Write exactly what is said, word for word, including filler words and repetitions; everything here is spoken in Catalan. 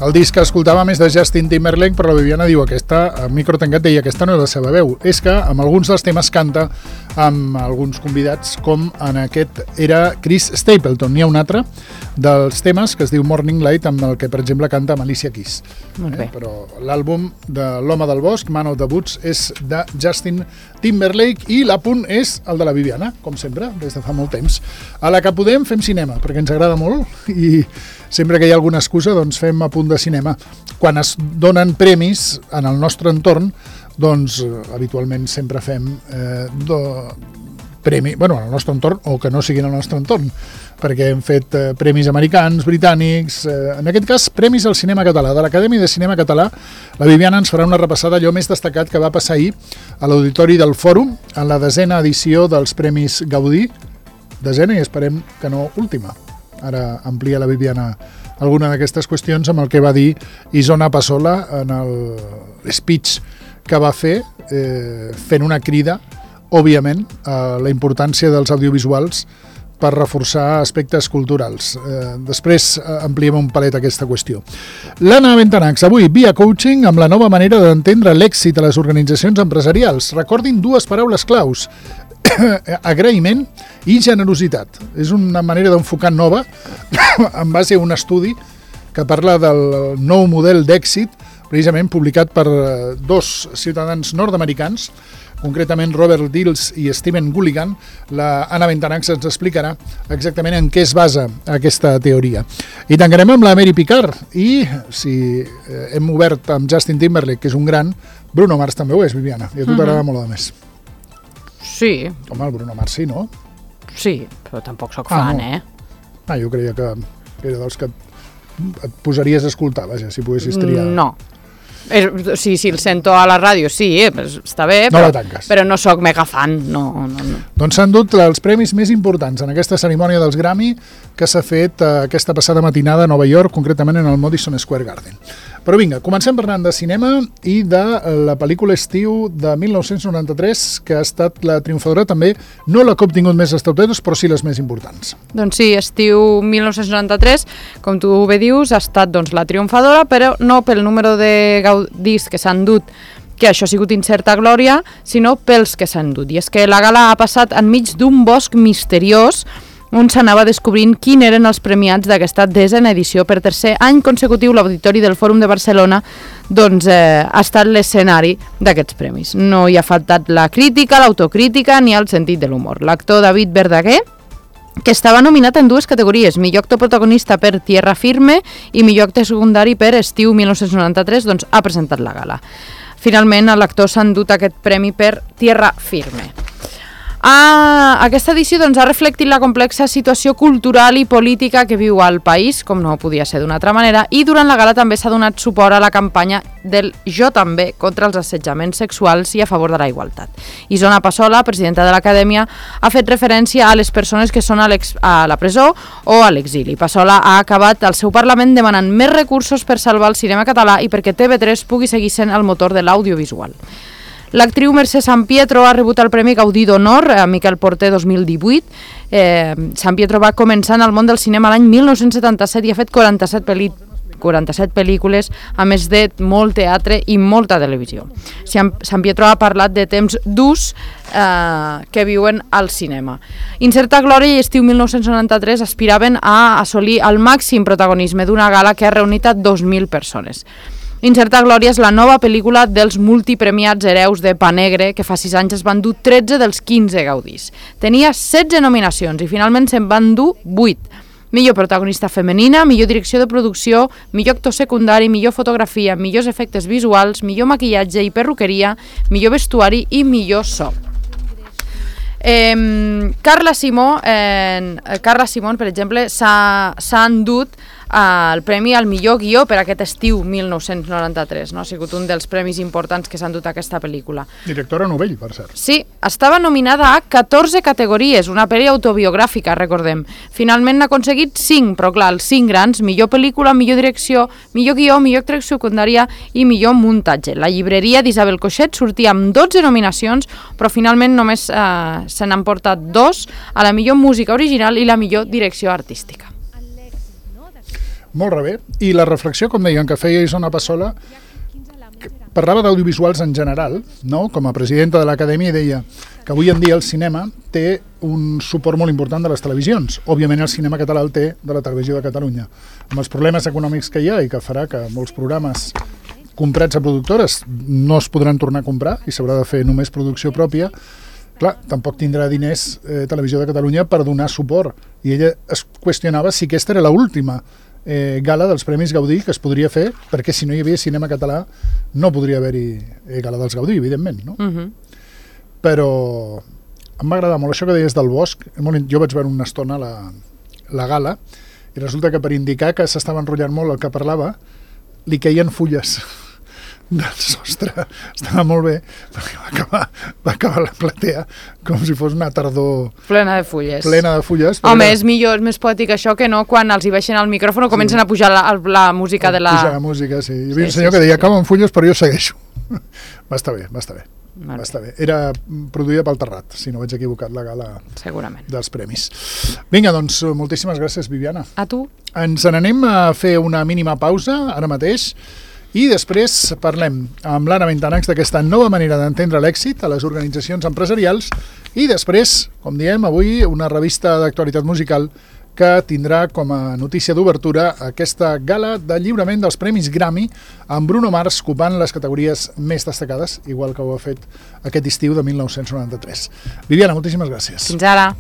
el disc que escoltàvem és de Justin Timberlake, però la Viviana diu aquesta, a micro tancat deia, aquesta no és la seva veu. És que amb alguns dels temes canta amb alguns convidats, com en aquest era Chris Stapleton. N'hi ha un altre dels temes que es diu Morning Light, amb el que, per exemple, canta Alicia Keys. Molt bé. Eh? Però l'àlbum de l'Home del Bosc, Man of the Woods, és de Justin Timberlake i l'apunt és el de la Viviana, com sempre, des de fa molt temps. A la que podem fem cinema, perquè ens agrada molt i sempre que hi ha alguna excusa doncs fem apunt de cinema. Quan es donen premis en el nostre entorn, doncs habitualment sempre fem eh, do, premi, bueno, en el nostre entorn o que no sigui en el nostre entorn, perquè hem fet eh, premis americans, britànics, eh, en aquest cas premis al cinema català. De l'Acadèmia de Cinema Català, la Viviana ens farà una repassada allò més destacat que va passar ahir a l'Auditori del Fòrum en la desena edició dels Premis Gaudí, desena i esperem que no última. Ara amplia la Viviana alguna d'aquestes qüestions amb el que va dir Isona Passola en el speech que va fer, eh, fent una crida, òbviament, a la importància dels audiovisuals per reforçar aspectes culturals. Eh, després eh, ampliem un palet aquesta qüestió. L'Anna Bentanax, avui, via coaching, amb la nova manera d'entendre l'èxit a les organitzacions empresarials. Recordin dues paraules claus, agraïment i generositat. És una manera d'enfocar nova en base a un estudi que parla del nou model d'èxit, precisament publicat per dos ciutadans nord-americans, concretament Robert Dills i Steven Gulligan. La Anna Bentanax ens explicarà exactament en què es basa aquesta teoria. I tancarem amb la Mary Picard i, si hem obert amb Justin Timberlake, que és un gran, Bruno Mars també ho és, Viviana, i a tu t'agrada mm-hmm. molt a més. Sí. Home, el Bruno Mars sí, no? Sí, però tampoc sóc ah, fan, no. eh? Ah, jo creia que era dels que et posaries a escoltar, vaja, si poguessis triar. No. És, sí, sí, el sento a la ràdio, sí, eh, està bé, no però, però no sóc mega fan. No, no, no. Doncs s'han dut els premis més importants en aquesta cerimònia dels Grammy que s'ha fet eh, aquesta passada matinada a Nova York, concretament en el Madison Square Garden. Però vinga, comencem parlant de cinema i de la pel·lícula Estiu de mil nou-cents noranta-tres, que ha estat la triomfadora també, no la que ha obtingut més estatuetes, però sí les més importants. Doncs sí, Estiu mil nou-cents noranta-tres, com tu bé dius, ha estat doncs, la triomfadora, però no pel número de gaudis que s'han dut, que això ha sigut incerta glòria, sinó pels que s'han dut. I és que la gala ha passat enmig d'un bosc misteriós on s'anava descobrint quin eren els premiats d'aquesta desena edició. Per tercer any consecutiu, l'Auditori del Fòrum de Barcelona doncs, eh, ha estat l'escenari d'aquests premis. No hi ha faltat la crítica, l'autocrítica ni el sentit de l'humor. L'actor David Verdaguer, que estava nominat en dues categories, millor actor protagonista per Tierra Firme i millor actor secundari per Estiu mil nou-cents noranta-tres, doncs ha presentat la gala. Finalment, l'actor s'ha endut aquest premi per Tierra Firme. Ah, aquesta edició doncs, ha reflectit la complexa situació cultural i política que viu al país, com no podia ser d'una altra manera, i durant la gala també s'ha donat suport a la campanya del Jo també contra els assetjaments sexuals i a favor de la igualtat. Isona Passola, presidenta de l'Acadèmia, ha fet referència a les persones que són a, a la presó o a l'exili. Passola ha acabat el seu Parlament demanant més recursos per salvar el cinema català i perquè T V tres pugui seguir sent el motor de l'audiovisual. L'actriu Mercè Sampietro ha rebut el Premi Gaudí d'Honor a Miquel Porter dos mil divuit. Eh, Sampietro va començar en el món del cinema l'any mil nou-cents setanta-set i ha fet quaranta-set pel·lícules quaranta-set pel·lícules, a més de molt teatre i molta televisió. Sampietro ha parlat de temps durs eh, que viuen al cinema. Incerta glòria i Estiu mil nou-cents noranta-tres aspiraven a assolir el màxim protagonisme d'una gala que ha reunit a dos mil persones. Incerta glòria és la nova pel·lícula dels multipremiats hereus de Pa Negre, que fa sis anys es van dur tretze dels quinze gaudís. Tenia setze nominacions i finalment se'n van dur vuit. Millor protagonista femenina, millor direcció de producció, millor actor secundari, millor fotografia, millors efectes visuals, millor maquillatge i perruqueria, millor vestuari i millor so. Eh, Carla Simó, eh, Carla Simón, per exemple, s'ha endut el premi al millor guió per aquest estiu mil nou-cents noranta-tres. No? Ha sigut un dels premis importants que s'han dut a aquesta pel·lícula. Directora novell, per cert. Sí, estava nominada a catorze categories, una pel·li autobiogràfica, recordem. Finalment n'ha aconseguit cinc, però clar, els cinc grans, millor pel·lícula, millor direcció, millor guió, millor actriu secundària i millor muntatge. La llibreria d'Isabel Coixet sortia amb dotze nominacions, però finalment només eh, se n'han portat dos, a la millor música original i la millor direcció artística. Molt rebé. I la reflexió, com deien, que feia Isona Passola, parlava d'audiovisuals en general, no? Com a presidenta de l'Acadèmia, deia que avui en dia el cinema té un suport molt important de les televisions. Òbviament el cinema català el té de la Televisió de Catalunya. Amb els problemes econòmics que hi ha i que farà que molts programes comprats a productores no es podran tornar a comprar i s'haurà de fer només producció pròpia, clar, tampoc tindrà diners eh, Televisió de Catalunya per donar suport. I ella es qüestionava si aquesta era l'última eh, gala dels Premis Gaudí que es podria fer, perquè si no hi havia cinema català no podria haver-hi eh, gala dels Gaudí, evidentment, no? Uh-huh. Però em va agradar molt això que deies del bosc. Jo vaig veure una estona la, la gala i resulta que per indicar que s'estava enrotllant molt el que parlava, li caien fulles del sostre. Estava molt bé, perquè va acabar, va acabar la platea com si fos una tardor plena de fulles. Plena de fulles. Home, era... és millor, és més poètic això que no quan els hi baixen al micròfon o comencen sí. a pujar la, la música de la... Pujar la música, sí. Hi havia sí, un senyor sí, que deia, sí. Acaben fulles, però jo segueixo. Va estar bé, va estar bé. Va estar bé. Era produïda pel Terrat, si no vaig equivocat, la gala segurament dels premis. Vinga, doncs, moltíssimes gràcies, Viviana. A tu. Ens n'anem a fer una mínima pausa, ara mateix, i després parlem amb l'Anna Bentanax d'aquesta nova manera d'entendre l'èxit a les organitzacions empresarials i després, com diem, avui una revista d'actualitat musical que tindrà com a notícia d'obertura aquesta gala de lliurament dels Premis Grammy amb Bruno Mars copant les categories més destacades, igual que ho ha fet aquest estiu de mil nou-cents noranta-tres. Viviana, moltíssimes gràcies. Fins ara.